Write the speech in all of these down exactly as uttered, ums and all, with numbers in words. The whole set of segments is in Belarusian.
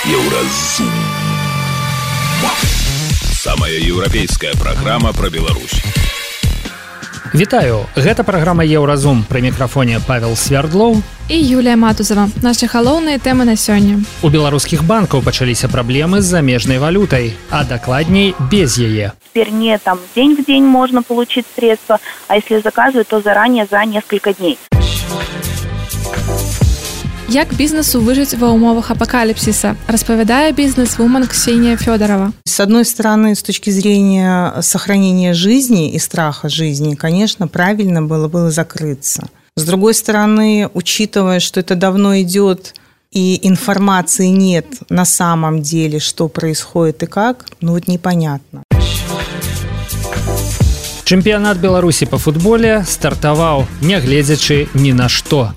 Еўразум. Самая еўрапейская праграма пра Беларусь. Вітаю, гэта праграма Еўразум. Пры мікрафоне Павел Свердлоў і Юлія Матузова. Нашы галоўныя тэмы на сёння. У беларускіх банкаў пачаліся праблемы з замежнай валютай, а дакладней без яе. Теперь не там день в день можно получить средства, а если заказывают, то заранее за несколько дней. Як бізнесу выжыць ва ўмовах апокалипсиса, распавядае бизнес-вумен Ксения Федорова. С одной стороны, с точки зрения сохранения жизни и страха жизни, конечно, правильно было бы закрыться. С другой стороны, учитывая, что это давно идет и информации нет на самом деле, что происходит и как, ну вот непонятно. Чэмпіянат Беларусі па футболе стартаваў, нягледзячы ні на што.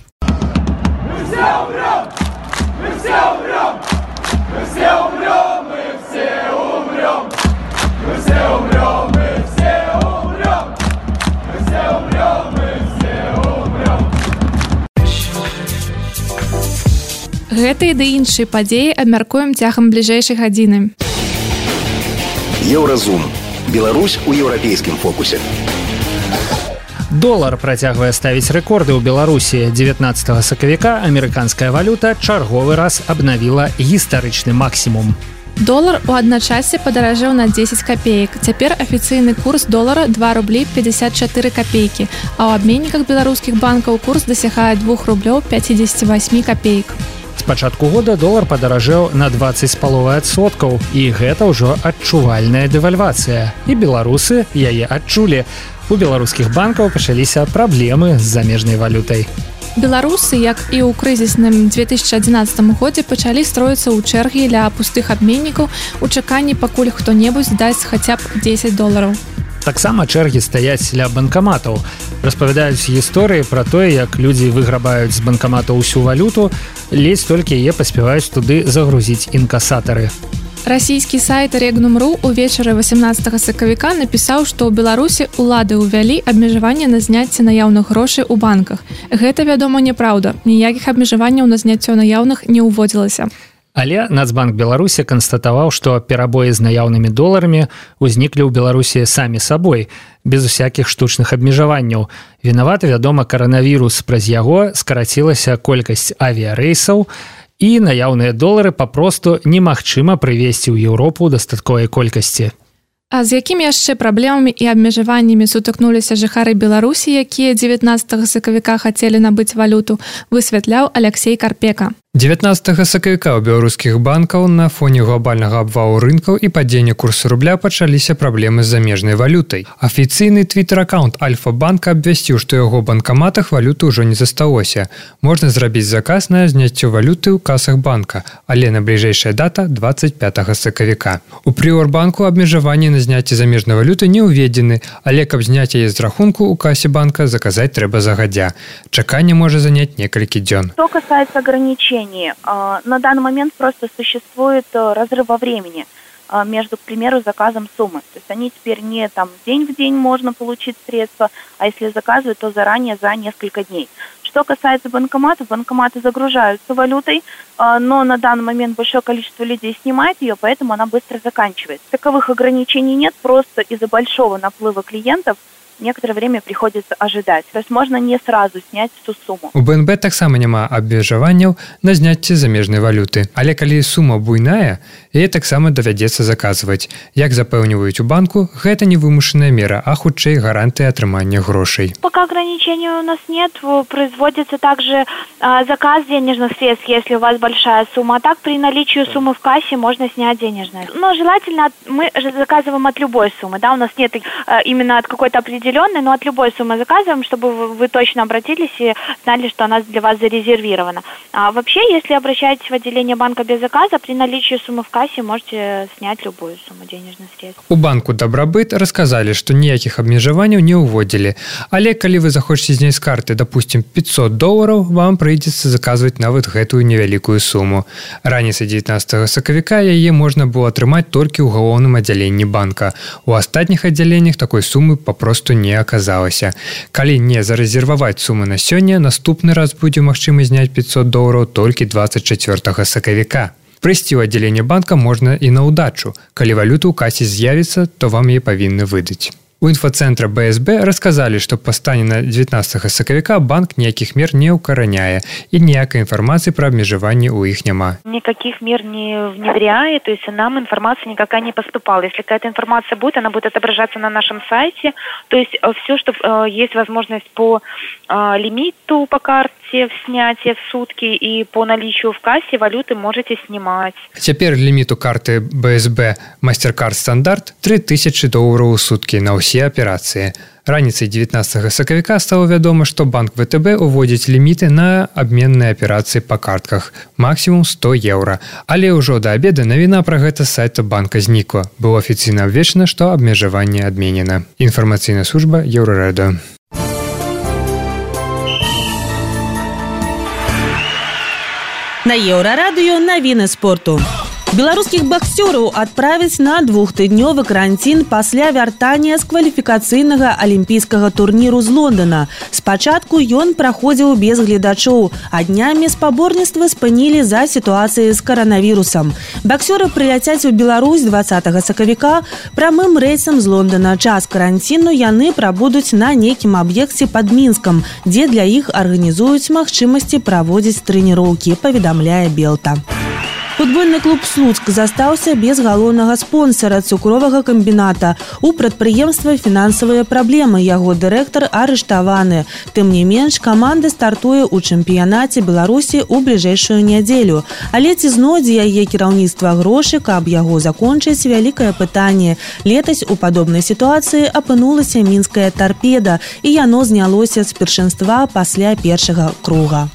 Гэтыя ды іншыя падзеі абмяркуем цягам бліжэйшай гадзіны. Еўразум. Беларусь у еўрапейскім фокусе. Долар працягвае ставіць рэкорды ў Беларусі. дзевятнаццатага сакавіка амерыканская валюта чарговы раз абнавіла гістарычны максімум. Долар у адначасе падаражэў на дзесяць капеек. Цяпер афіцыйны курс долара два рублі пятьдесят чатыры копейкі, а ў абменніках беларускіх банкаў курс дасягае двух рублёў пятьдесят восемь копеек. З пачатку года долар падаражэў на дваццаць з паловай адсоткаў, і гэта ўжо адчувальная дэвальвацыя. І беларусы яе адчулі. У беларускіх банкаў пачаліся праблемы з замежнай валютай. Беларусы, як і ў крызісным две тысячи адзінаццатым годзе, пачалі строіцца ў чэргі ля пустых абменнікаў у чаканні, пакуль хто-небудзь дасць хаця б дзесяць долараў. Таксама чэргі стаяць ля банкаматаў. Распавядаюць гісторыі пра тое, як людзі выграбаюць з банкаматаў усю валюту, ледзь толькі яе паспяваюць туды загрузіць інкасатары. Расійскі сайт Регнум.ру увечары васямнаццатага сакавіка напісаў, што ў Беларусі ўлады ўвялі абмежаванне на зняцце наяўных грошай у банках. Гэта, вядома, няпраўда. Ніякіх абмежаванняў на зняццё наяўных не ўводзілася. Але Нацбанк Беларусі канстатаваў, што перабоі з наяўнымі доларамі ўзніклі ў Беларусі самі сабой, без усякіх штучных абмежаванняў. Вінаваты, вядома, каранавірус, праз яго скарацілася колькасць авіярэйсаў, і наяўныя долары папросту немагчыма прывезці ў Еўропу дастатковай колькасці. А з якімі яшчэ праблемамі і абмежаваннямі сутыкнуліся жыхары Беларусі, якія дзевятнаццатага сакавіка хацелі набыць валюту, высвятляў Алексей Карпека. дзевятнаццатага сакавіка ў беларускіх банкаў на фоне глобальнага абвалу рынкаў і падзення курсу рубля пачаліся праблемы з замежнай валютай. Афіцыйны твіттер-аккаунт Альфа-банка абвясціў, што ў яго банкаматах валюты ўжо не засталося. Можна зрабіць заказ на зняццё валюты ў касах банка, але на бліжэйшая дата дваццаць пятага сакавіка. У Прыорбанку абмежаванні на зняцце замежнай валюты не ўведзены, але каб зняць яе з рахунку ў касе банка, заказаць трэба загадзя. Чаканне можа заняць некалькі дзён. Что касается ограничений, на данный момент просто существует разрыв во времени между, к примеру, заказом суммы. То есть они теперь не там день в день можно получить средства, а если заказывают, то заранее за несколько дней. Что касается банкоматов, банкоматы загружаются валютой, но на данный момент большое количество людей снимает ее, поэтому она быстро заканчивается. Таковых ограничений нет, просто из-за большого наплыва клиентов некоторое время приходится ожидать. То есть можно не сразу снять всю сумму. У бэ эн бэ таксама няма абмежаванняў на зняцце замежнай валюты. Але калі сума буйная, яе таксама давядзецца заказваць. Як запэўніваюць у банку, гэта не вымушаная мера, а хутчэй гарантыя атрымання грошай. Пока ограничений у нас нет, производится также а, заказ денежных средств, если у вас большая сумма. А так при наличии суммы в кассе можно снять денежные. Но желательно мы же заказываем от любой суммы. Да, у нас нет а, именно от какой-то определенной, но от любой суммы заказываем, чтобы вы, вы точно обратились и знали, что она для вас зарезервирована. А вообще, если обращаетесь в отделение банка без заказа, при наличии суммы в кассе можете снять любую сумму денежных средств. У банку Добробыт расказалі, што ніякіх абмежаванняў не ўводзілі. Але калі вы захочаце зняць з карты, допустим, пятьсот долараў, вам прыйдзецца заказваць нават гэтую невялікую суму. Раніцай дзевятнаццатага сакавіка яе можна было атрымаць толькі ў галоўным аддзяленні банка. У астатніх аддзяленнях такой сумы папросту не аказалася. Калі не зарэзерваваць сумы на сёння, наступны раз будзе магчыма зняць пятьсот долараў толькі двадцать чацвёртага сакавіка. Прыйсці ў аддзяленне банка можна і на ўдачу. Калі валюта ў касе з'явіцца, то вам яе павінны выдаць. У інфоцэнтра бэ эс бэ расказалі, што па стане на дзевятнаццатага сакавіка банк ніякіх мер не ўкараняе і ніякай інфармацыі пра абмежаванні ў іх няма. Никаких мер не внедряет, то есть нам информация никакая не поступала. Если какая-то информация будет, она будет отображаться на нашем сайте. То есть все, что э, есть возможность по э, лимиту по карте в снятие в сутки и по наличию в кассе валюты можете снимать. Цяпер ліміт у карты бэ эс бэ MasterCard стандарт тры тысячы долараў у суткі на ўсе аперацыі. Раніцай дзевятнаццатага сакавіка стала вядома, што банк вэ тэ бэ уводзіць ліміты на абменныя аперацыі па картках, максімум сто еўра. Але ўжо да абеда навіна пра гэта з сайта банка знікла. Было афіцыйна абвешчана, што абмежаванне адменена. Інфармацыйная служба Еўрарэдыё. На Еўрарадыё навіны спорту. Беларускіх боксёраў адправяць на двухтыднёвы каранцін пасля вяртання з кваліфікацыйнага алімпійскага турніру з Лондона. Спачатку ён праходзіў без гледачоў, а днямі спаборніцтвы спынілі за сітуацыяй з каранавірусам. Боксёры прыляцяць у Беларусь дваццатага сакавіка прамым рэйсам з Лондона. Час каранціну яны прабудуць на нейкім аб'екце пад Мінскам, дзе для іх арганізуюць магчымасці праводзіць трэніроўкі, паведамляе Белта. Футбольны клуб «Слуцк» застаўся без галоўнага спонсара цукровага камбіната. У прадпрыемства фінансавыя праблемы, яго дырэктар арыштаваны. Тым не менш, каманда стартуе ў чэмпіянаце Беларусі ў бліжэйшую нядзелю. Але ці знойдзе яе кіраўніцтва грошы, каб яго закончыць, вялікае пытанне. Летась у падобнай сітуацыі апынулася мінская «Тарпеда», і яно знялося з першынства пасля першага круга.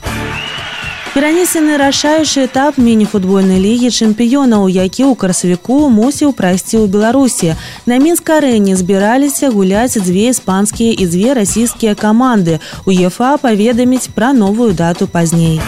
Перанесены рашаючы этап міні-футбольнай лігі чэмпіёнаў, які ў красавіку мусіў прайсці ў Беларусі. На Мінск-арэне збіраліся гуляць дзве іспанскія і дзве расійскія каманды. УЕФА паведаміць пра новую дату пазней.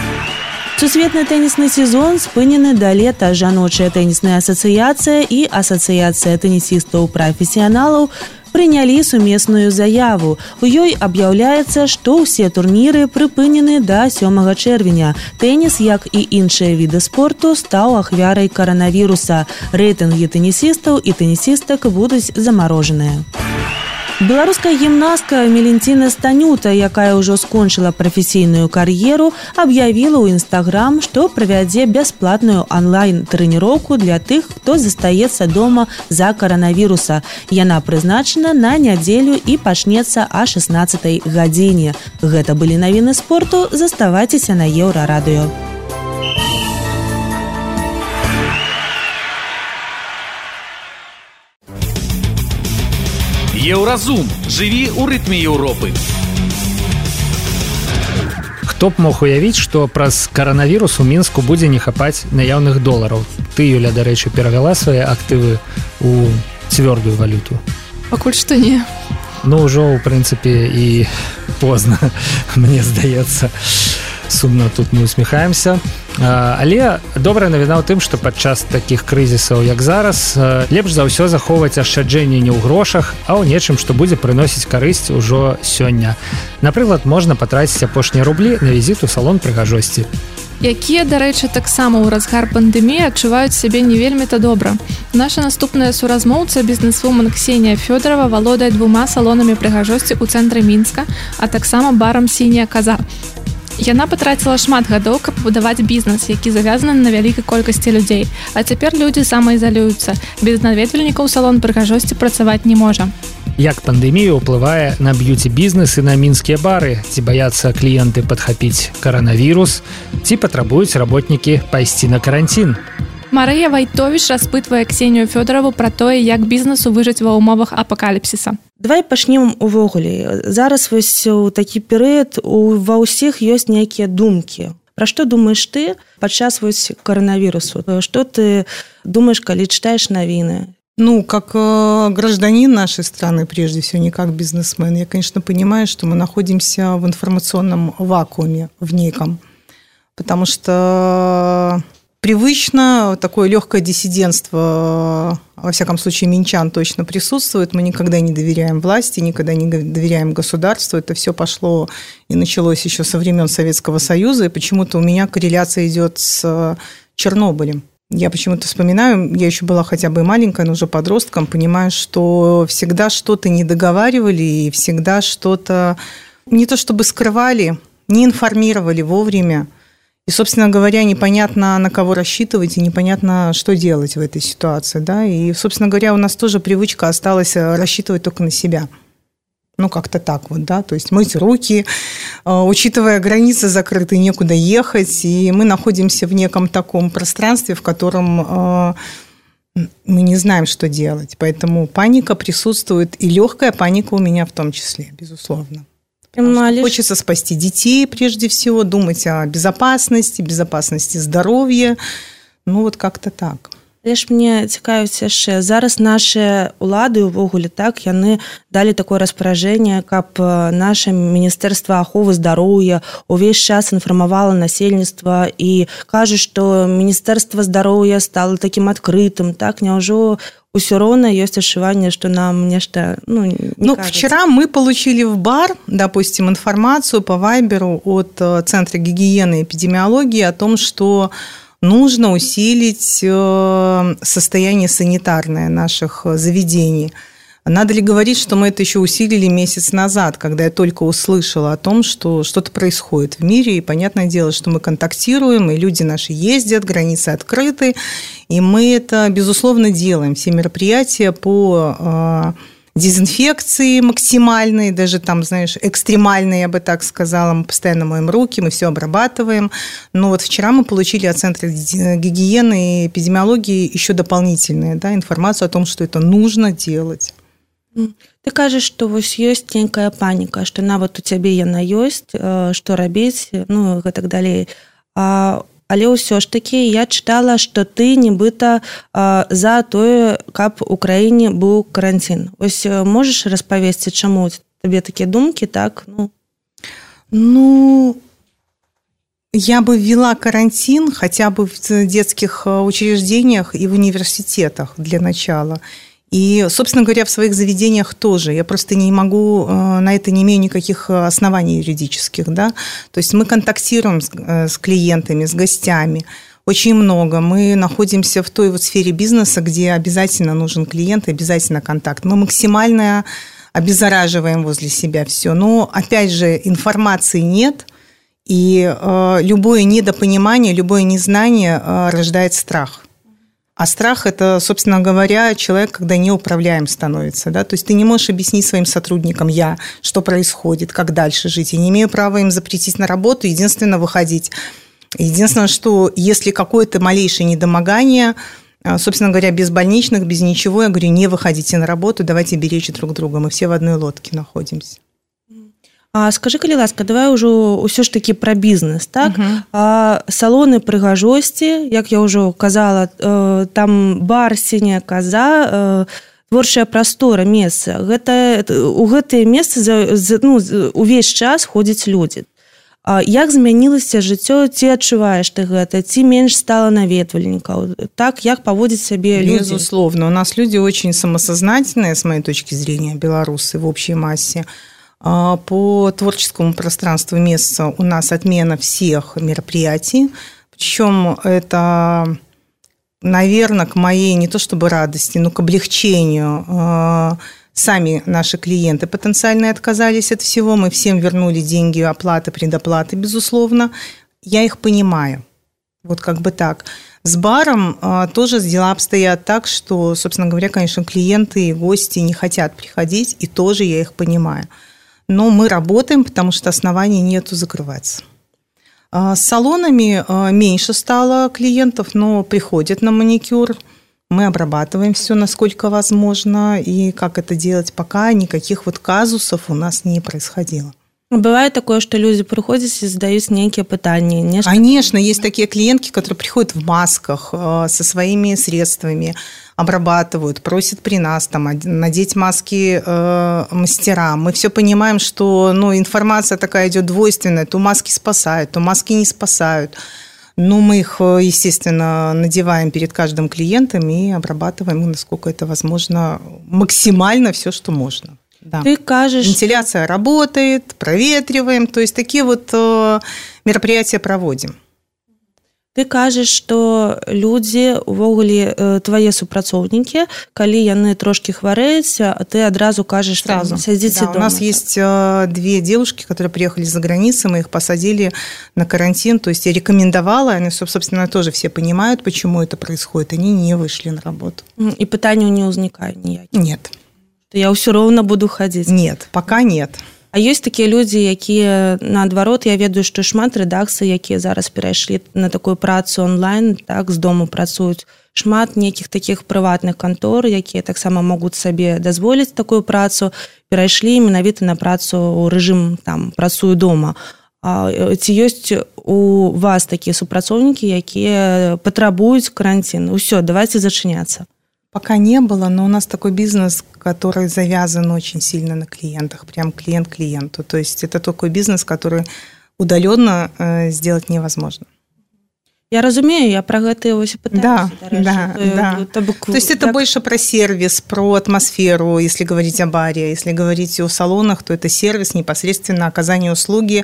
Сусветны тэнісны сезон спынены да лета. Жаночая тэнісная асацыяцыя і асацыяцыя тэнісістаў-прафесіяналаў прынялі сумесную заяву. У ёй аб'яўляецца, што ўсе турніры прыпынены да сёмага чэрвеня. Тэніс, як і іншыя віды спорту, стаў ахвярай каранавіруса. Рэйтынгі тэнісістаў і тэнісістак будуць замарожаныя. Беларуская гімнастка Мелентина Станюта, якая ўжо скончыла прафесійную кар'еру, аб'явіла ў Інстаграм, што правядзе бясплатную онлайн-трэніроўку для тых, хто застаецца дома за каранавіруса. Яна прызначана на нядзелю і пачнецца а шаснаццатай гадзіне. Гэта былі навіны спорту. Заставайцеся на Еўрарадыё. Еўразум. Жыві ў рытме Еўропы. Хто б мог уявіць, што праз каранавірус у Мінску будзе не хапаць наяўных долараў. Ты, Юля, дарэчы, перавяла свае актывы ў цвёрдую валюту? Пакуль што не. Ну, ўжо, ў прынцыпе, і позна, мне здаецца. Сумна тут мы усміхаемся. Але добрая навіна ў тым, што падчас такіх крызісаў, як зараз, лепш за ўсё захоўваць ашчаджэнне не ў грошах, а ў нечым, што будзе прыносіць карысць ужо сёння. Напрыклад, можна патраціць апошнія рублі на візіт у салон прыгажосці. Якія, дарэчы, таксама ў разгар пандэміі адчуваюць сябе не вельмі-то добра. Наша наступная суразмоўца, бізнесвумен Ксенія Фёдорова, валодае двума салонамі прыгажосці ў цэнтры Мінска, а таксама барам «Сіняя каза». Яна патраціла шмат гадоў, каб будаваць бізнес, які завязаны на вялікай колькасці людзей. А цяпер людзі самаізалююцца. Без наведвальнікаў салон прыгажосці працаваць не можа. Як пандэмія ўплывае на б'юці-бізнес і на мінскія бары? Ці баяцца кліенты падхапіць каранавірус? Ці патрабуюць работнікі пайсці на каранцін? Марыя Вайтовіч распытвае Ксенію Фёдорову пра тое, як бізнесу выжыць ва ўмовах апакаліпсіса. Давай пачнем увогуле. Зараз вось у такі перыяд ва ўсіх ёсць нейкія думкі. Пра што думаеш ты падчас вось каранавірусу? Што ты думаешь, калі читаешь навіны? Ну, как э, гражданин нашей страны, прежде всего, не как бизнесмен, я, конечно, понимаю, что мы находимся в информационном вакууме, в неком. Потому что привычно такое легкое диссидентство, во всяком случае, минчан точно присутствует. Мы никогда не доверяем власти, никогда не доверяем государству. Это все пошло и началось еще со времен Советского Союза. И почему-то у меня корреляция идет с Чернобылем. я почему-то вспоминаю, я еще была хотя бы и маленькая, но уже подростком, понимаю, что всегда что-то не договаривали и всегда что-то не то чтобы скрывали, не информировали вовремя. И, собственно говоря, непонятно, на кого рассчитывать, и непонятно, что делать в этой ситуации. Да? И, собственно говоря, у нас тоже привычка осталась рассчитывать только на себя. Ну, как-то так вот, да, то есть мыть руки, учитывая границы закрыты, некуда ехать, и мы находимся в неком таком пространстве, в котором мы не знаем, что делать. Поэтому паника присутствует, и легкая паника у меня в том числе, безусловно. Хочется спасти детей, прежде всего, думать о безопасности, безопасности здоровья. Ну, вот как-то так. Але ж мне цікавіць яшчэ. Зараз наши улады увогуле так, яны далі такое распараджэнне, каб наше Міністэрства аховы здароўя увесь час інфармавала насельніцтва і кажуць, што Міністэрства здароўя стало таким адкрытым, так, няўжо усё роўна ёсць адчуванне, што нам нешта, ну, не Ну, кажется. Вчера мы получили в бар, допустим, информацию по Вайберу от Центра гигиены и эпидемиологии о том, что нужно усилить состояние санитарное наших заведений. Надо ли говорить, что мы это еще усилили месяц назад, когда я только услышала о том, что что-то происходит в мире, и понятное дело, что мы контактируем, и люди наши ездят, границы открыты, и мы это, безусловно, делаем. Все мероприятия по дезинфекции максимальной, даже там, знаешь, экстремальной, я бы так сказала, мы постоянно моем руки, мы все обрабатываем. Но вот вчера мы получили от Центра гигиены и эпидемиологии еще дополнительную, да, информацию о том, что это нужно делать. Ты кажаш, што вось ёсць нейкая паніка, што нават у цябе яна ёсць, што рабіць, ну, і так далей. А, але ўсё ж такі я чытала, што ты нібыта а, за тое, каб у краіне быў карантин. Вось можаш распавесці, чаму табе такія думкі, так? Ну, ну я бы ввела карантин хотя бы в детских учреждениях и в университетах для начала. И, собственно говоря, в своих заведениях тоже. Я просто не могу, на это не имею никаких оснований юридических. Да? То есть мы контактируем с, с клиентами, с гостями очень много. Мы находимся в той вот сфере бизнеса, где обязательно нужен клиент, обязательно контакт. Мы максимально обеззараживаем возле себя все. Но, опять же, информации нет, и э, любое недопонимание, любое незнание э, рождает страх. А страх – это, собственно говоря, человек, когда неуправляем становится. Да? То есть ты не можешь объяснить своим сотрудникам, я, что происходит, как дальше жить. Я не имею права им запретить на работу, единственное – выходить. Единственное, что если какое-то малейшее недомогание, собственно говоря, без больничных, без ничего, я говорю, не выходите на работу, давайте беречь друг друга. Мы все в одной лодке находимся. А скажи, калі ласка, давай ўжо ўсё ж такі пра бізнес, так? Uh-huh. А, салоны прыгажосці, як я ўжо казала, э, там бар, сіняя каза, э, творчая прастора, месца. Гэта, у гэтыя месцы за, за, ну, увесь час ходзяць людзі. А як змянілася жыццё, ці адчуваеш ты гэта, ці менш стала наведвальнікаў? Так, як паводзіць сябе людзі? Безусловно. У нас люди очень самосознательные, с моей точки зрения, белорусы в общей массе. По творческому пространству месяца у нас отмена всех мероприятий. Причем это, наверное, к моей не то чтобы радости, но к облегчению. Сами наши клиенты потенциальные отказались от всего. Мы всем вернули деньги, оплаты, предоплаты, безусловно. Я их понимаю. Вот как бы так. С баром тоже дела обстоят так, что, собственно говоря, конечно, клиенты и гости не хотят приходить, и тоже я их понимаю. Но мы работаем, потому что оснований нету закрываться. С салонами меньше стало клиентов, но приходят на маникюр. Мы обрабатываем все, насколько возможно. И как это делать, пока никаких вот казусов у нас не происходило. Бывает такое, что люди приходят и задают некие пытания. Нечто... Конечно, есть такие клиентки, которые приходят в масках со своими средствами, обрабатывают, просят при нас там, надеть маски э, мастерам. Мы все понимаем, что ну, информация такая идет двойственная. То маски спасают, то маски не спасают. Но мы их, естественно, надеваем перед каждым клиентом и обрабатываем, насколько это возможно, максимально все, что можно. Да. Ты кажешь... Вентиляция работает, проветриваем. То есть такие вот э, мероприятия проводим. Ты кажаш, што людзі увогуле твае супрацоўнікі, калі яны трошки хварэюць, ты адразу кажаш сразу сядзіце да, дома. У нас есть две девушки, которые приехали за границей, мы их посадили на карантин, то есть я рекомендовала, они, собственно, тоже все понимают, почему это происходит, они не вышли на работу. И пытанняў не ўзнікае ніякіх? Нет. Я ўсё роўна буду хадзіць? Нет, пока нет. А ёсць такія людзі, якія наадварот, я ведаю, што шмат рэдакцый, якія зараз перайшлі на такую працу онлайн, так з дому працуюць. Шмат нейкіх такіх прыватных кантор, якія таксама могуць сабе дазволіць такую працу, перайшлі менавіта на працу ў рэжым там працую дома. А ці ёсць у вас такія супрацоўнікі, якія патрабуюць карантин? Усё, давайте зачыняцца. Пока не было, но у нас такой бизнес, который завязан очень сильно на клиентах, прям клиент клиенту. То есть это такой бизнес, который удаленно э, сделать невозможно. Я разумею, я про гэта его и пытаюсь. Да, да, да. То, то, то есть это так... больше про сервис, про атмосферу, если говорить о баре. Если говорить о салонах, то это сервис, непосредственно оказание услуги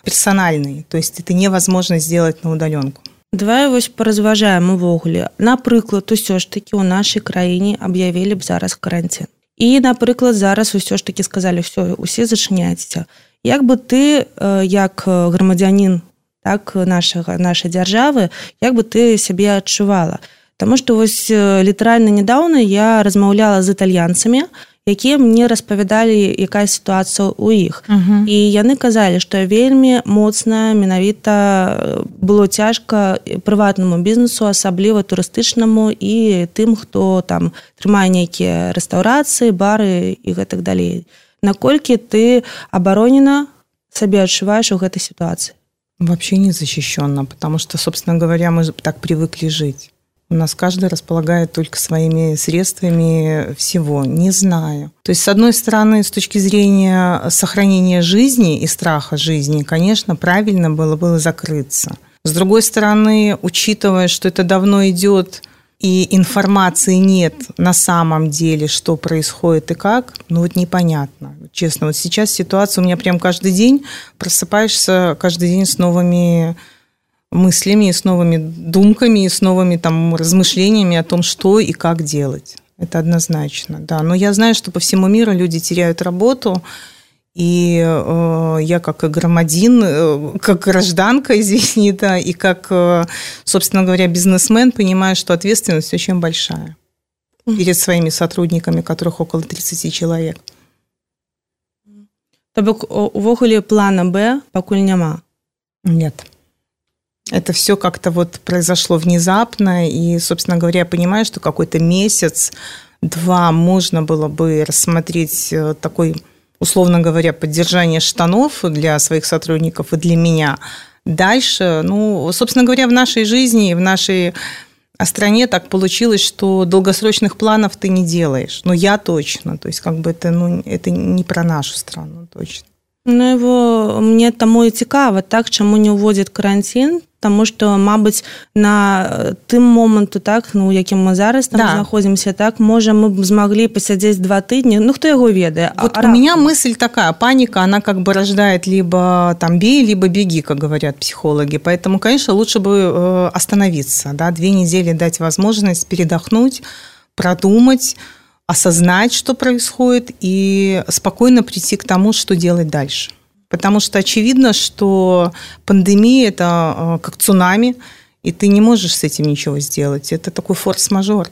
персональной. То есть это невозможно сделать на удаленку. Давай вось паразважаем увогуле. Напрыклад, усё ж такі ў нашай краіне аб'явілі б зараз карантин. І, напрыклад, зараз усё ж такі сказалі, ўсё, усе зачыняйцеся. Як бы ты, як грамадзянін, так, нашага, нашай дзяржавы, як бы ты сябе адчувала? Таму што вось літаральна нядаўна я размаўляла з італьянцамі, якія мне распавядалі, якая сітуацыя ў іх. Uh-huh. І яны казалі, што вельмі моцна менавіта было цяжка прыватнаму бізнесу, асабліва турыстычнаму і тым, хто там трымае нейкія рэстаўрацыі, бары і гэтак далей. Наколькі ты абаронена сабе адчуваеш у гэтай сітуацыі? Вообще не защищенно, потому что, собственно говоря, мы так привыкли жить. У нас каждый располагает только своими средствами всего, не знаю. То есть, с одной стороны, с точки зрения сохранения жизни и страха жизни, конечно, правильно было бы закрыться. С другой стороны, учитывая, что это давно идет, и информации нет на самом деле, что происходит и как, ну вот непонятно. Честно, вот сейчас ситуация у меня прям каждый день, просыпаешься каждый день с новыми мыслями, с новыми думками, с новыми там размышлениями о том, что и как делать. Это однозначно, да. Но я знаю, что по всему миру люди теряют работу, и э, я как громадин, э, как гражданка, извини, да, и как, э, собственно говоря, бизнесмен понимаю, что ответственность очень большая перед своими сотрудниками, которых около тридцати человек. То бок увогуле плана Б пакуль няма? Нет. Это все как-то вот произошло внезапно, и, собственно говоря, я понимаю, что какой-то месяц, два можно было бы рассмотреть такой, условно говоря, поддержание штанов для своих сотрудников и для меня. Дальше, ну, собственно говоря, в нашей жизни, в нашей стране так получилось, что долгосрочных планов ты не делаешь. Ну, я точно. То есть, как бы это, ну, это не про нашу страну, точно. Ну, его, мне таму і цікава, так, чаму не ўводзяць карантин, таму што, мабыць, на тым моманту, так, ну, якім мы зараз там да. знаходзімся, так, можа, мы б змаглі пасядзець два тыдні, ну, хто яго ведае. Вот а, у меня мысль такая, паника, она как бы рождает либо там бей, либо беги, как говорят психологи, поэтому, конечно, лучше бы остановиться, да, две недели дать возможность передохнуть, продумать, осознать, что происходит, и спокойно прийти к тому, что делать дальше. Потому что очевидно, что пандемия – это как цунами, и ты не можешь с этим ничего сделать. Это такой форс-мажор.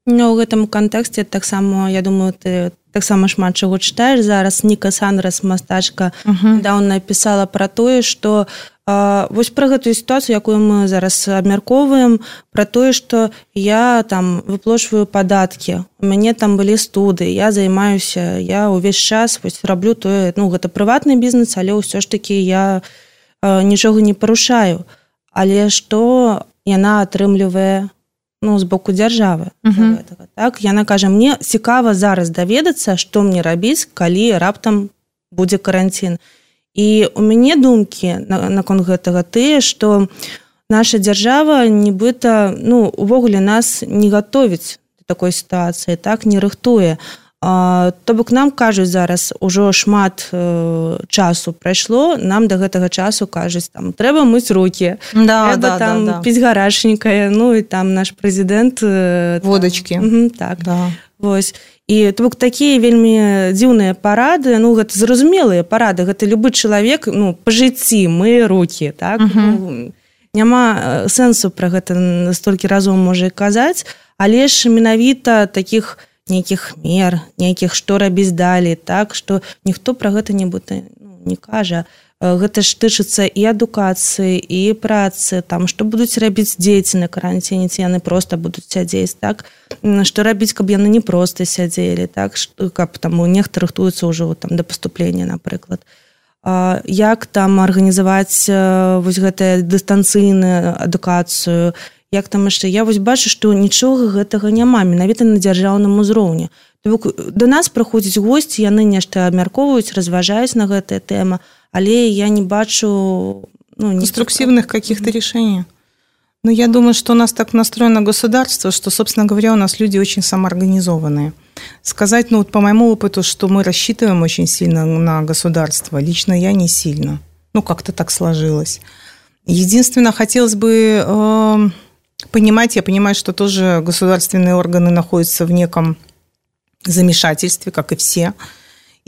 Ну, в этом контексте, так само, я думаю, ты так само шмат чаго читаешь зараз. Ніка Сандрас, мастачка, uh-huh. недавно написала про тое, что э, вось про гэтую ситуацию, якую мы зараз абмярковываем, про тое, что я там выплачиваю податки, у мяне там были студы, я займаюся, я увесь час вось раблю тое, ну, гэта прыватны бізнес, але ўсё ж таки я э, нічога не парушаю. Але што яна атрымлівае, ну, з боку дзяржавы. Uh-huh. Гэтага, так? Яна кажа, мне цікава зараз даведацца, што мне рабіць, калі раптам будзе карантин. І у мяне думкі наконт гэтага тыя, што наша дзяржава нібыта, ну, увогуле нас не гатовіць да такой сітуацыі, так, не рыхтуе. То бок нам кажуць зараз ужо шмат часу прайшло, нам да гэтага часу кажуць там трэба мыць рукі, да, трэба да, там да, да. піць гарачненькае, ну і там наш прэзідэнт водачкі. Угу, так. Да. Вось. І то бок такія вельмі дзіўныя парады, ну гэта зразумелыя парады, гэта любы чалавек, ну па жыцці мые рукі, так? Угу. Ну, няма сэнсу пра гэта столькі разоў можа казаць, але ж менавіта такіх нейкіх мер, нейкіх што рабіць далей, так, што ніхто пра гэта нібыта ну, не кажа. Гэта ж тычыцца і адукацыі, і працы, там, што будуць рабіць дзеці на каранціне, ці яны проста будуць сядзець, так, што рабіць, каб яны не проста сядзелі, так, што, каб там нехта рыхтуецца ўжо там, да паступлення, напрыклад. Як там арганізаваць вось гэтую дыстанцыйную адукацыю, як там яшчэ, я вось бачу, што нічога гэтага няма, менавіта на дзяржаўным узроўні. Да нас прыходзяць госці, яны нешта абмяркоўваюць, разважаюць на гэтая тэма, але я не бачу... Ну, конструктивных каких-то решений. Но я думаю, что у нас так настроено государство, что, собственно говоря, у нас люди очень самоорганизованные. Сказать, ну вот по моему опыту, что мы рассчитываем очень сильно на государство, лично я не сильно. Ну, как-то так сложилось. Единственное, хотелось бы... Э- Понимать, я понимаю, что тоже государственные органы находятся в неком замешательстве, как и все,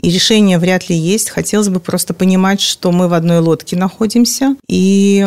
и решение вряд ли есть. Хотелось бы просто понимать, что мы в одной лодке находимся, и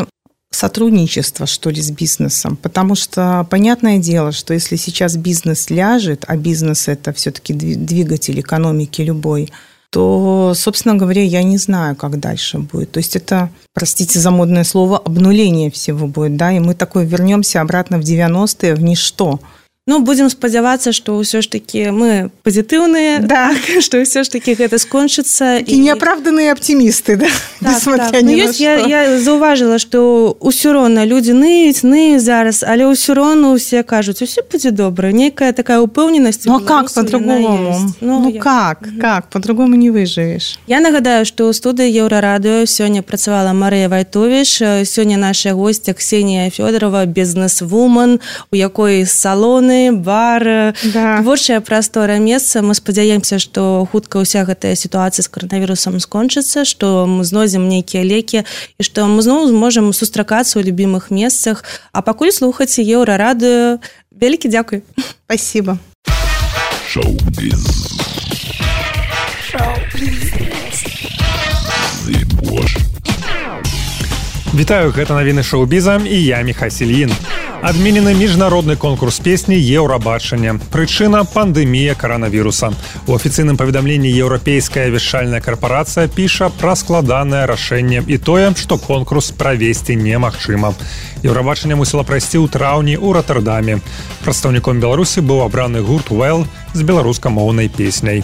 сотрудничество, что ли, с бизнесом. Потому что, понятное дело, что если сейчас бизнес ляжет, а бизнес – это все-таки двигатель экономики любой, то, собственно говоря, я не знаю, как дальше будет. То есть это, простите за модное слово, обнуление всего будет, да, и мы такой вернемся обратно в девяностые, в ничто. Ну, будем спадзявацца, што ўсё ж такі мы пазітыўныя, да. што ўсё ж такі гэта скончыцца. І, і неапраўданыя аптымісты, да? Так, так. Ну, ёсць, я, я заўважыла, што ўсё роўна людзі ныюць, ныюць зараз, але ўсё роўна ўсе кажуць, усё будзе добра, нейкая такая упэўненасць. Ну, а как по-другому? Ну, ну я... как, угу. как? По-другому не выжывеш. Я нагадаю, што ў студыі Еўрарадыё сёння працавала Марыя Вайтовіч, сёння наша госця Ксенія Фёдорова, бізнес-вумен, у якой салоны, бар, да. Творчая прастора месца. Мы спадзяемся, што хутка ўся гэтая сітуацыя з каранавірусам скончыцца, што мы знойдзем нейкія лекі і што мы зноў зможам сустракацца ў любімых месцах. А пакуль слухаце Еўрарадыё. Вялікі дзякуй. Спасибо. Шоу-біз. Шоу-біз. Вітаю, гэта навіны шоу-біза і я Міхась Ільін. Адменены міжнародны конкурс песні «Еўрабачанне». Прычына – пандэмія каранавіруса. У афіцыйным паведамленні еўрапейская вяшчальная карпарацыя піша пра складанае рашэнне і тое, што конкурс правесці немагчыма. Еўрабачанне мусіла прайсці ў траўні ў Роттердаме. Прадстаўніком Беларусі быў абраны гурт «Well» з беларускамоўнай песняй.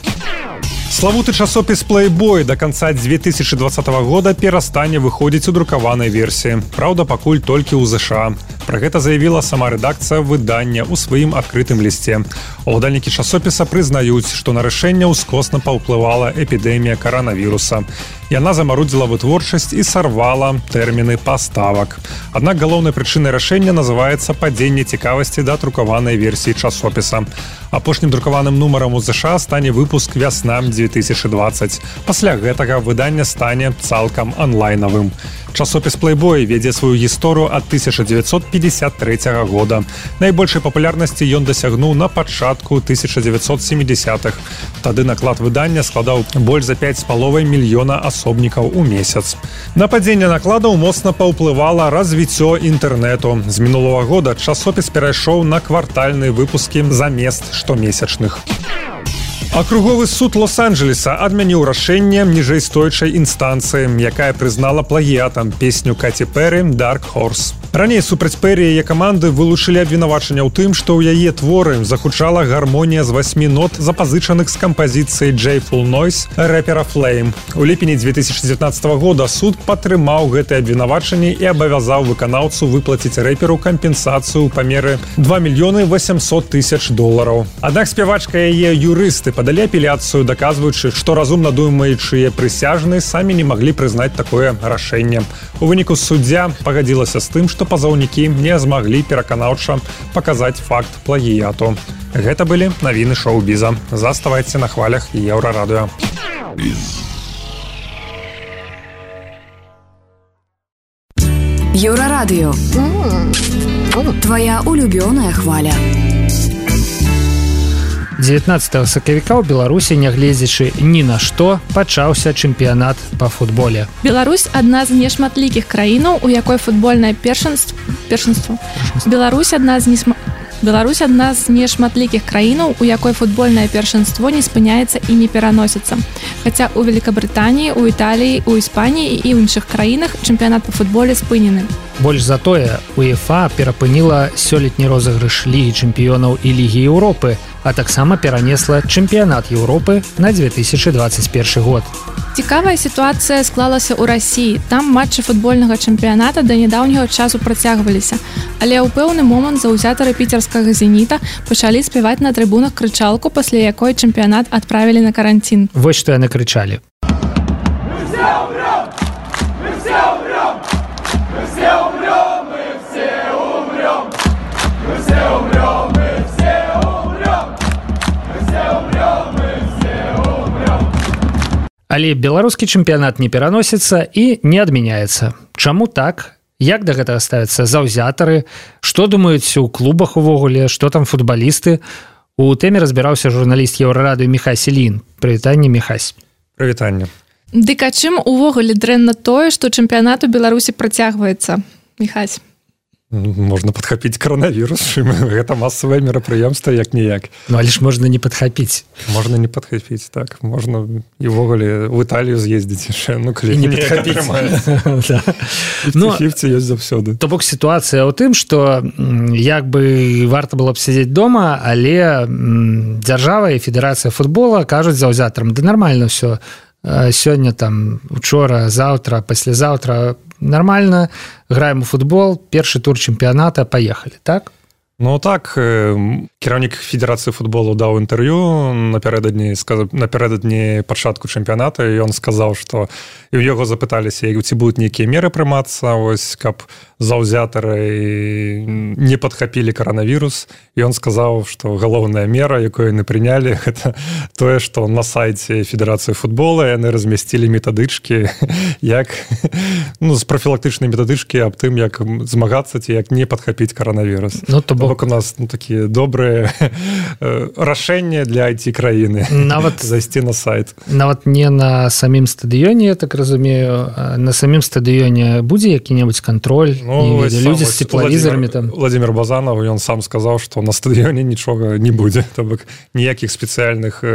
Славуты часопіс Playboy до конца две тысячи двадцатого года перастане выходзіць у друкаванай версіі. Праўда, пакуль толькі ў ЗША. Пра гэта заявіла сама рэдакцыя выдання ў сваім адкрытым лісце. Уладальнікі часопіса прызнаюць, што на рашэнне ўскосна паўплывала эпідэмія каранавіруса. Яна замарудзіла вытворчасць і сарвала тэрміны паставак. Аднак галоўнай прычынай рашэння называецца падзенне цікавасці да друкаванай версіі часопіса. Апошнім друкаваным нумарам у ЗША стане выпуск вясна две тысячи двадцать. Пасля гэтага выданне стане цалкам онлайнавым. Часопіс Playboy вядзе сваю гісторыю ад тысяча дзевяцьсот пятьдесят третьего года. Найбольшай папулярнасці ён дасягнуў на пачатку тысяча дзевяцьсот семидесятых. Тады наклад выдання складаў больш за пять з паловай мільёна асобнікаў у месяц. На падзенне накладаў моцна паўплывала развіццё інтэрнэту. З мінулого года часопіс перайшоў на квартальныя выпускі замест штомесячных. Акруговы суд Лос-Анджелеса адмяніў рашэнне ніжэйстоячай інстанцыі, якая прызнала плагіятам песню Каті Пэры «Dark Horse». Раней супраць Пэры яе каманды вылучылі абвінавачанне ў тым, што ў яе творы загучала гармонія з васьмі нот, запазычаных з кампазіцыі «Joyful Noise» рэпера Flame. У ліпені две тысячи девятнадцатого года суд падтрымаў гэтае абвінавачанне і абавязаў выканаўцу выплаціць рэперу кампенсацыю ў памеры два мільёны восемьсот тысяч долараў. Аднак спявачка і яе юрысты пад падалі апеляцыю, даказваючы, што разумна думаючыя прысяжныя самі не маглі прызнаць такое рашэнне. У выніку суддзя пагадзілася з тым, што пазаўнікі не змаглі пераканаўча паказаць факт плагіяту. Гэта былі навіны шоу-біза. Заставайце на хвалях Еўрарадыё. Еўрарадыё. Твоя улюбёная хваля. дзевятнаццатага сакавіка ў Беларусі, нягледзячы ні на што, пачаўся чэмпіянат па футболе. Беларусь адна з нешматлікіх краінаў, у якой футбольнае першынство першынство. Беларусь адна з несма... Беларусь адна з нешматлікіх краінаў, у якой футбольнае першынство не спыняецца і не пераносіцца. Хаця ў Великабрытаніі, у Італіі, у Іспаніі і іншых краінах чэмпіянат па футболе спынены. Больш за тое, УЕФА перапыніла сёлетні розыгрыш Лігі чэмпіёнаў і Лігі Еўропы, а таксама перанесла чэмпіянат Еўропы на две тысячы двадцать першы год. Цікавая сітуацыя склалася ў Расіі. Там матчы футбольнага чэмпіяната да нядаўняга часу працягваліся. Але ў пэўны момант заўзятары піцерскага «Зеніта» пачалі спяваць на трыбунах крычалку, пасля якой чэмпіянат адправілі на каранцін. Вось што яны крычалі. Але беларускі чэмпіянат не пераносіцца і не адмяняецца. Чаму так? Як да гэтага ставяцца заўзятары? Што думаюць у клубах увогуле? Што там футбалісты? У тэме разбіраўся журналіст Еўрарадыё Міхась Ільін. Прывітанне, Міхась. Прывітанне. Дык а чым увогуле дрэнна тое, што чэмпіянат у Беларусі працягваецца? Міхась. Можна падхапіць каранавірус, гэта масавае мерапрыемства як-ніяк. Ну, але ж можна не падхапіць. Можна не падхапіць, так. Можна і ўвогуле ў Італію з'ездзіць яшчэ, ну, калі не падхапіць. фіфці-фіфці ёсць заўсёды. То бок сітуацыя ў тым, што як бы варта было б сядзець дома, але дзяржава і федэрацыя футбола кажуць заўзятарам, да нармальна ўсё. Сёння там, учора, заўтра, паслязаўтра нормально, граем у футбол, першы тур чэмпіяната, паехалі, так? Ну так, кіраўнік федэрацыі футболу даў інтэрв'ю напярэдадні, напярэдадні пачатку чэмпіяната, і ён сказаў, што і ў яго запыталіся, ці будуць нейкія меры прымацца, ось, каб заўзятары не падхапілі каранавірус, і ён сказаў, што галоўная мера, якую яны прынялі, гэта тое, што на сайце федэрацыі футбола яны размясцілі метадычкі, як, ну, з прафілактычнай метадычкі аб тым, як змагацца ці як не падхапіць каранавірус. Ну, то бок у нас, ну, такія добрыя рашэнні для ай ти-краіны. Нават зайсці на сайт. Нават не на самім стадыёне, я так разумею, на самім стадыёне будзе які-небудзь кантроль? Ну, людзі з теплавізорамі там. Владимир Базанов, ён сам сказаў, што на стадыёне нічога не будзе. То бок ніякіх спецыяльных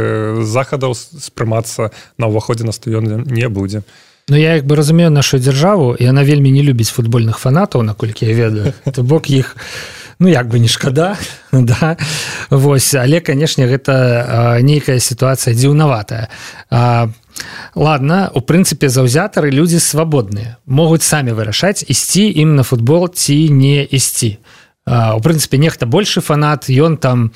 захадаў спрымацца на ўваходзе на стадыён не будзе. Ну, я як бы разумею нашу дзяржаву, і яна вельмі не любіць футбольных фанатаў, наколькі я ведаю. То бок іх, ну, як бы не шкада, да. Вось, але, канешне, гэта нейкая сітуацыя дзіўнаватая. Ладно, у прынцыпе, заўзятары людзі свабодныя, могуць самі вырашаць, ісці ім на футбол ці не ісці. У прынцыпе, нехта большы фанат, ён там,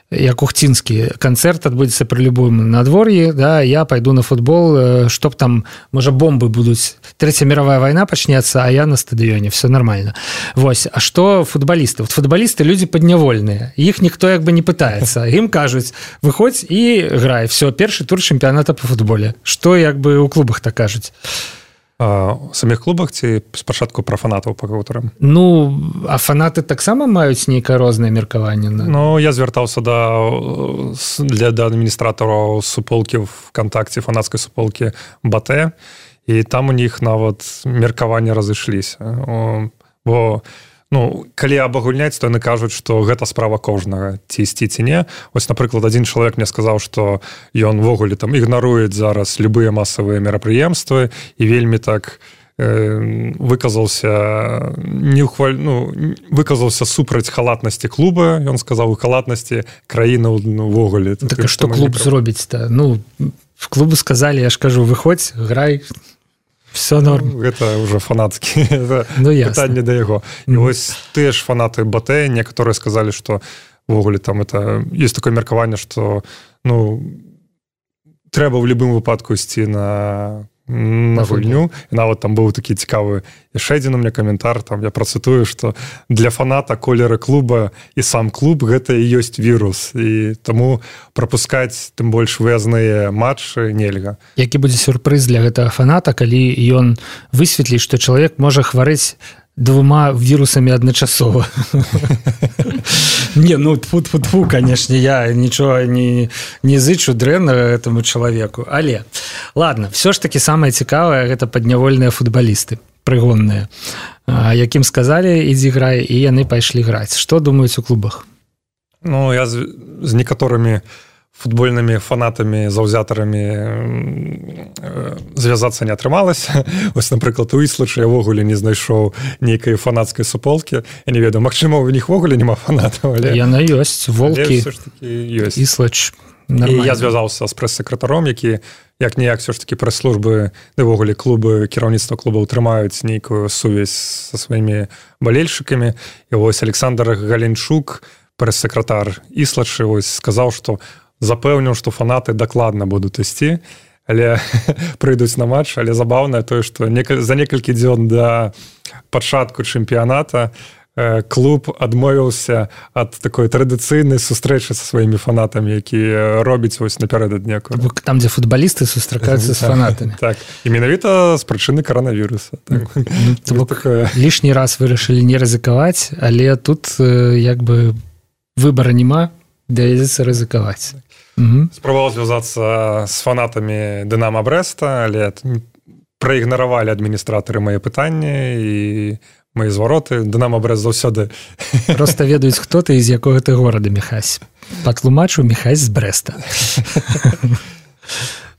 як ухцінскі канцэрт адбудзецца пры любым надвор'і, да, я пайду на футбол, чтоб там, можа, бомбы будуць, трэця мировая вайна пачнецца, а я на стадыёне, все нормально. Вось, а што футбалісты? Вот футбалісты людзі паднявольныя, іх ніхто як бы не пытаецца, ім кажуць, выходзь і грай, все, першы тур чэмпіяната по футболе. Што як бы у клубах так кажуць? У самих клубах ці спачатку пра фанатаў пакаўтарам? Ну, а фанаты таксама маюць нейкае рознае меркаванне? Ну, я звяртаўся да, для, да адміністратараў суполкі ВКонтакце, фанацкай суполкі БАТЭ, і там у них нават меркаванне разышліся. Бо, ну, калі абагульняць, то яны кажуць, што гэта справа кожнага, ці ісці, ці не. Вось, напрыклад, адзін чалавек мне сказаў, што ён ввогуле там ігнаруе зараз любыя масавыя мерапрыемствы і вельмі так э, выказаўся не ўхваль... ну, выказаўся супраць халатнасці клуба. Ён сказаў, у халатнасці краіны ўвогуле. Так, а што клуб зробіць-то? Ну, в клубу сказалі, я ж кажу, выходзь, грай, все норм. Ну, гэта ўжо фанацкі ну, пытанне да яго. І mm. вось тыя ж фанаты БАТЭ, некаторыя сказалі, што ўвогуле там это ёсць такое меркаванне, што, ну, трэба ў любым выпадку ісці на на гульню. І нават там быў такі цікавы яшчэ адзін у меня каментар, там я працытую, што для фаната колеры клуба і сам клуб гэта і ёсць вірус, і таму прапускаць тым больш выязныя матчы нельга. Які будзе сюрпрыз для гэтага фаната, калі ён высветліць, што чалавек можа хварэць двума вірусамі адначасова. Не, ну тфу-тфу-тфу, канешне, я нічога не, не зычу дрэннага гэтаму чалавеку. Але, ладно, все ж таки самае цікавае гэта паднявольныя футбалісты, прыгонныя, якім сказалі ідзі грай, і яны пайшлі граць. Што думаюць у клубах? Ну, я з, з некаторымі футбольнымі фанатамі, заўзятарамі звязацца не атрымалася. Вось, напрыклад, у Іслача я ввогуле не знайшоў нейкай фанацкай суполкі. Я не ведаю, магчыма, у них ввогуле няма фанатаў, але... Яна ёсць, волкі, ёсць. Іслач. І я звязаўся з прэс-сакратаром, які як-ніяк все ж таки прэс-службы, ввогуле клубы, кіраўніцтва клубаў трымаюць нейкую сувязь са сваімі балельшчыкамі. І вось Александр Галенчук, прэс-сакратар Іслача, вось сказаў, што запэўніў, што фанаты дакладна будуць ісці, але прыйдуць на матч, але забаўнае тое, што некаль... за некалькі дзён да пачатку чэмпіяната клуб адмовіўся ад такой традыцыйнай сустрэчы са сваімі фанатамі, якія робяць вось напярэдадні. Там, дзе футбалісты сустракаюцца з фанатамі. Так, і менавіта з прычыны каранавіруса. Так. Ну, такое... Лішні раз вырашылі не рызыкаваць, але тут як бы выбара няма, давядзецца рызыкаваць. Угу. Спрабаваў звязацца з фанатамі Дынамо Брэста, але праігнаравалі адміністратары мае пытанні і мае звароты. Дынамо Брэст заўсёды... Проста ведаюць, хто ты і з якога ты горада, Міхась. Патлумачу, Міхась з Брэста.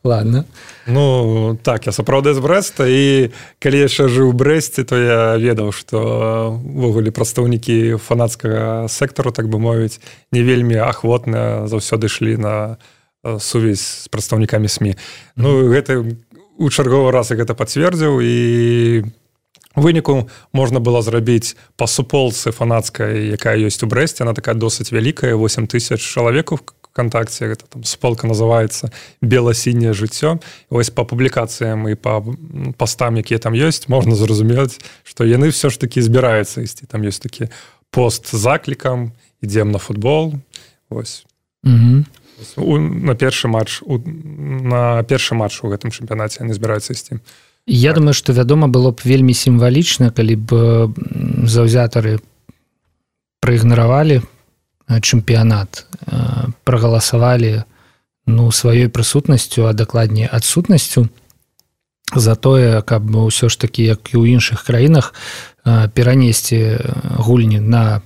Ладно. Ну, так, я сапраўды з Брэста, і калі яшчэ жыў у Брэсце, то я ведаў, што ввогуле прадстаўнікі фанацкага сектару, так бы мовіць, не вельмі ахвотна заўсёды ішлі на сувязь з прадстаўнікамі СМІ. Ну, гэта у чарговы раз я гэта пацвердзіў, і у выніку можна было зрабіць па суполцы фанацкай, якая ёсць у Брэсце, она такая досыць вялікая, восемь тысяч чалавек у ВКонтакте, гэта там суполка называецца «Бела-сіняе жыццё». І вось па публікацыям і па пастам, якія там ёсць, можна зразумець, што яны все ж таки збіраюцца ісці. Там ёсць такі пост з заклікам, ідзем на футбол. Вось. Угу. У, на першы матч у, на першы матч у гэтым чэмпіянаце яны збіраюцца ісці. Я так. думаю, што вядома было б вельмі сімвалічна, калі б заўзятары праігнаравалі чэмпіянат, прагаласавалі ну, сваёй прысутнасцю, а дакладней адсутнасцю за тое, каб ўсё ж такі, як і ў іншых краінах, перанесці гульні на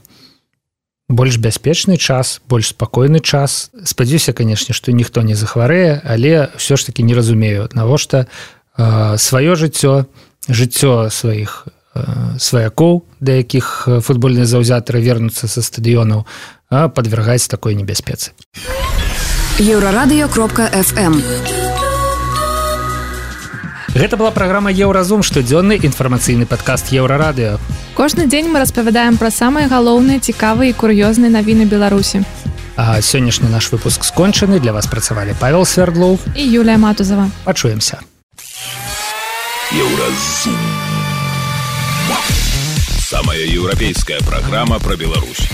больш бяспечны час, больш спакойны час. Спадзяюся, канешне, што ніхто не захварэе, але ўсё ж такі не разумею, навошта сваё жыццё, жыццё сваіх сваякоў, да якіх футбольныя заўзятары вернуцца са стадыёнаў, а падвяргаць такой небяспецы. еўрарадыё кропка эф эм. Гэта была праграма «Еўразум», штодзённы інфармацыйны падкаст «Еўрарадыё». Кожны дзень мы распавядаем пра самыя галоўныя, цікавыя і кур'ёзныя навіны Беларусі. А сённяшні наш выпуск скончаны. Для вас працавалі Павел Свердлов і Юлія Матузова. Пачуемся. Еўразум. Самая еўрапейская праграма пра Беларусь.